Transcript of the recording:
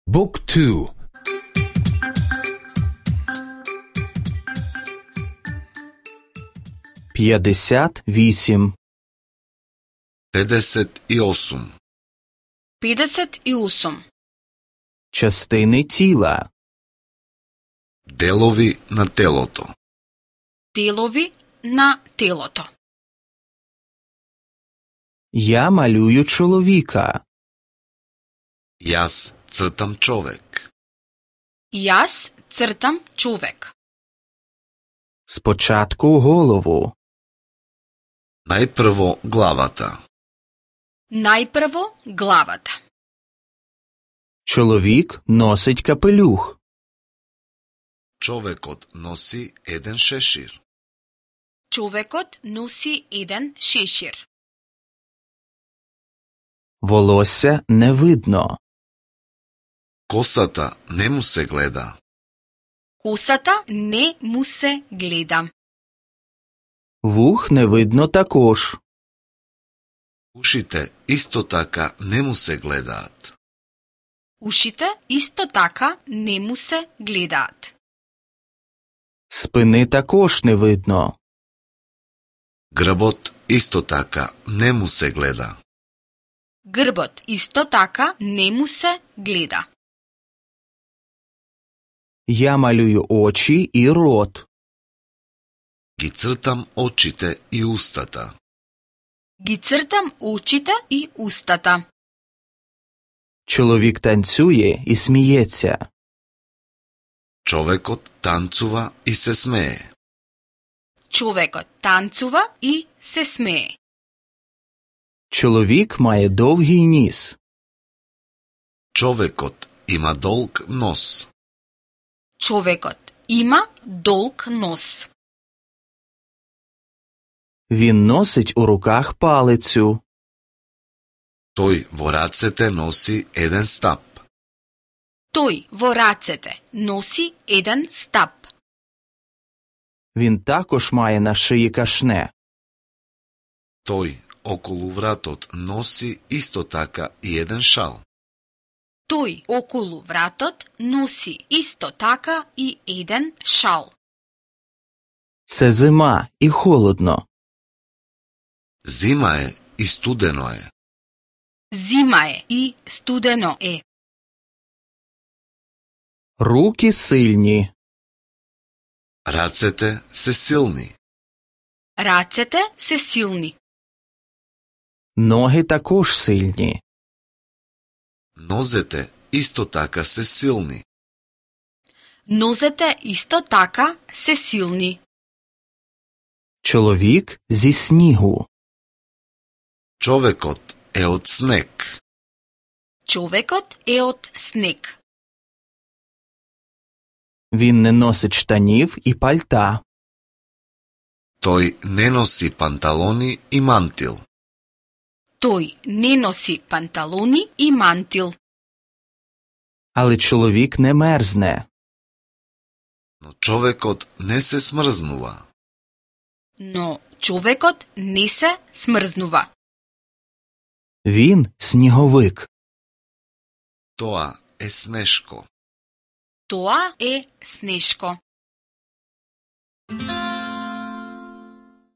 Book 2. П'ятдесят вісім. 58. 58. Частини тіла. Делови на телото. Делови на телото. Я малюю чоловіка. Јас цртам човек. Јас цртам човек. Спочатку голову. Најпрво главата. Најпрво главата. Чоловік носить капелюх. Човекот носи еден шешир. Човекот носи еден шешир. Волосся не видно. Косата не му се гледа. Косата не му се гледа. Вух не видно також. Ушите исто така не му се гледаат. Ушите исто така не му се гледаат. Спини також не видно. Грбот исто така не му се гледа. Грбот исто така не му се гледа. Я малюю очі і рот. Ги цртам очите и устата. Ги цртам очите и устата. Чоловік танцює і сміється. Човекот танцува и се смее. Човекот танцува и се смее. Чоловік має довгий ніс. Човекот има долг нос. Човекот има долг нос. Він носить у руках палицю. Тој во рацете носи еден стап. Тој во рацете носи еден стап. Він також має на шиї кашне. Тој околу вратот носи исто така и еден шал. Тој околу вратот носи исто така и еден шал. Це зима і холодно. Зима е и студено е. Зима е и студено е. Руки сильні. Рацете се силни. Рацете се силни. Ноги також сильні. Нозете исто така се силни. Нозете исто така се силни. Чоловік зі снігу. Човекот е од снег. Човекот е од снег. Він не носить штанів і пальта. Тој не носи панталони и мантил. Тој не носи панталони и мантил. Але чоловік не мерзне. Но човекот не се смрзнува. Но човекот не се смрзнува. Він сніговик. Тоа е снешко. Тоа е снешко.